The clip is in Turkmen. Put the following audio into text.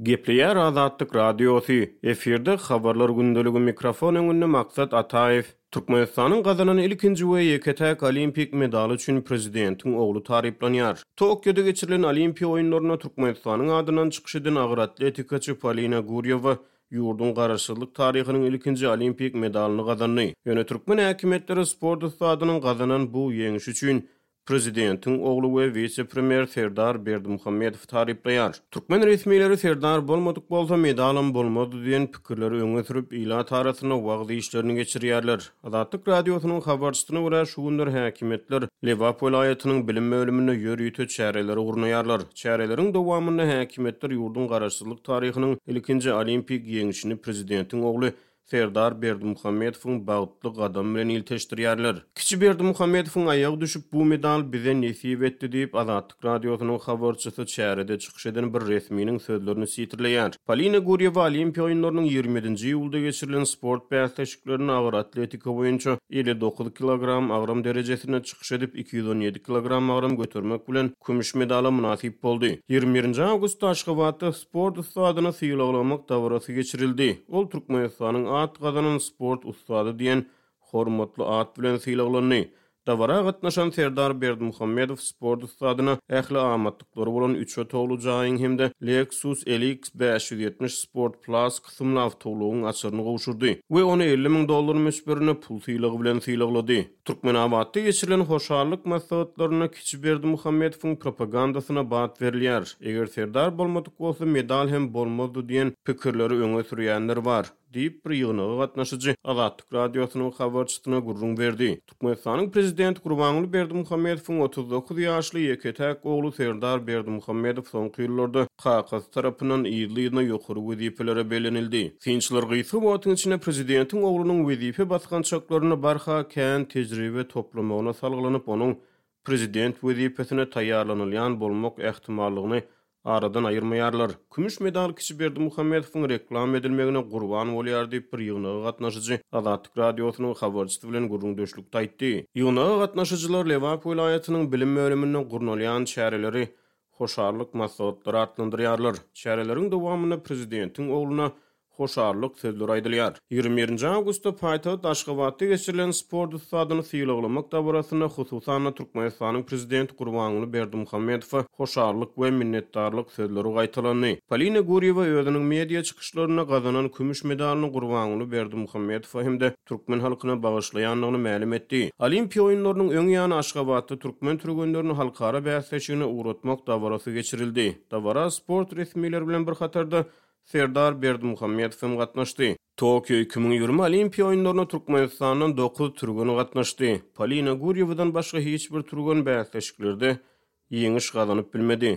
Gepleýär Azatlyk Radiosy, efirde Habarlar gündeligi mikrofon öňünde Maksat Ataýew. Türkmenistanyň gazanan ilkinji we ýeke-täk olimpik medaly üçin prezidentiň ogly taryplanýar. Tokioda geçirilen Olimpiýa oýunlarynda Türkmenistanyň adyndan çykyş eden agyr atletikaçy Polina Gurýewa ýurduň garaşsyzlyk taryhynyň ilkinji olimpik medalyny gazandy. Ýöne türkmen häkimiýetleri sport ussadynyň gazanan bu ýeňşi üçin Prezidentiň ogly we wise-premýer Serdar Berdimuhamedowy taryplaýar. Türkmen resmileri Serdar bolmadyk bolsa, medalam bolmazdy diýen pikirleri öňe sürüp, ilat arasynda wagyz işlerini geçirýärler. Azatlyk Radiosynyň habarçysyna görä, şu günler häkimiýetler Lebap welaýatynyň bilim bölüminde ýörite çäreleri gurnaýarlar. Çäreleriň dowamynda häkimiýetler ýurduň garaşsyzlyk taryhynyň ilkinji olimpik ýeňşini prezidentiň ogly Serdar Berdimuhamedowyň bagtly gadamy bilen ilteşdirýärler. Kiçi Berdimuhamedowyň aýagy düşüp, bu medal bize nesip etdi diýip, Azatlyk Radiosynyň habarçysy çärede çykyş eden bir resminiň sözlerini sitirleýär. Polina Gurýewa Olimpiýa oýunlarynyň 27-nji iýulda geçirilen sport bäsleşiklerinde agyr atletika boýunça 59 kilogram agram derejesinde çykyş edip, 217 kilogram agram götermek bilen, kümüş medala mynasyp boldy. 21-nji awgustda Aşgabatda sport ussadyny sylaglamak dabarasy geçirildi. Ol Türkmenistanyň at gazanan sport ussady diýen hormatly at bilen sylaglandy. Dabara gatnaşan Serdar Berdimuhamedow sport ussadyna ähli amatlyklary bolan üç otagly jaýyň hem-de Lexus LX 570 Sport Plus kysymly awtoulagyň açaryny gowşurdy we ony 50 müň dollar möçberinde pul sylagy bilen sylaglady. Türkmenabatda geçirilen hoşallyk maslahatlarynda kiçi Berdimuhamedowyň propagandasyna bat berilýär. Eger Serdar bolmadyk bolsa, medal hem bolmazdy diýen pikirleri öňe sürýänler bar, diýip, bir ýygnaga gatnaşyjy Azatlyk Radiosynyň habarçysyna gürrüň berdi. Türkmenistanyň prezidenti Gurbanguly Berdimuhamedowyň 39 ýaşly ýeke-täk ogly Serdar Berdimuhamedow soňky ýyllarda kakasy tarapyndan yzly-yzyna ýokary wezipelere bellenildi. Synçylar gysga wagtyň içinde prezidentiň oglunyň wezipe basgançaklarynda barha kän tejribe toplamagyna salgylanyp, onuň prezident wezipesine taýýarlanylýan bolmak ähtimallygyny aradan aýyrmaýarlar. Kümüş medal kiçi Berdimuhamedowyň reklama edilmegine gurban bolýar diýip, bir ýygnaga gatnaşyjy Azatlyk Radiosynyň habarçysy bilen gürrüňdeşlikde aýtdy. Ýygnaga gatnaşyjylar Lebap welaýatynyň bilim bölüminde gurnalýan çäreleri hoşallyk maslahatlary atlandyrýarlar. Çäreleriň dowamynda prezidentiň ogluna hoşallyk sözleri aýdylýar. 21-nji awgustda paýtagt Aşgabatda geçirilen sport ussadyny sylaglamak dabarasynda hususan-da Türkmenistanyň Prezidenti Gurbanguly Berdimuhamedowa hoşallyk we minnetdarlyk sözleri gaýtalandy. Polina Gurýewa özüniň media çykyşlarynda gazanan kümüş medalyny Gurbanguly Berdimuhamedowa hem-de türkmen halkyna bagyşlaýandygyny mälim etdi. Olimpiýa oýunlarynyň öň ýany Aşgabatda türkmen türgenlerini halkara bäsleşigine ugratmak dabarasy geçirildi. Dabara sport resmileri bilen bir hatarda Serdar Berdimuhamedow hem gatnaşdy. Tokio 2020 Olimpiýa oýunlaryna Türkmenistandan dokuz türgen gatnaşdy. Polina Gurýewadan başga hiç bir türgen bäsleşiklerde ýeňiş gazanyp bilmedi.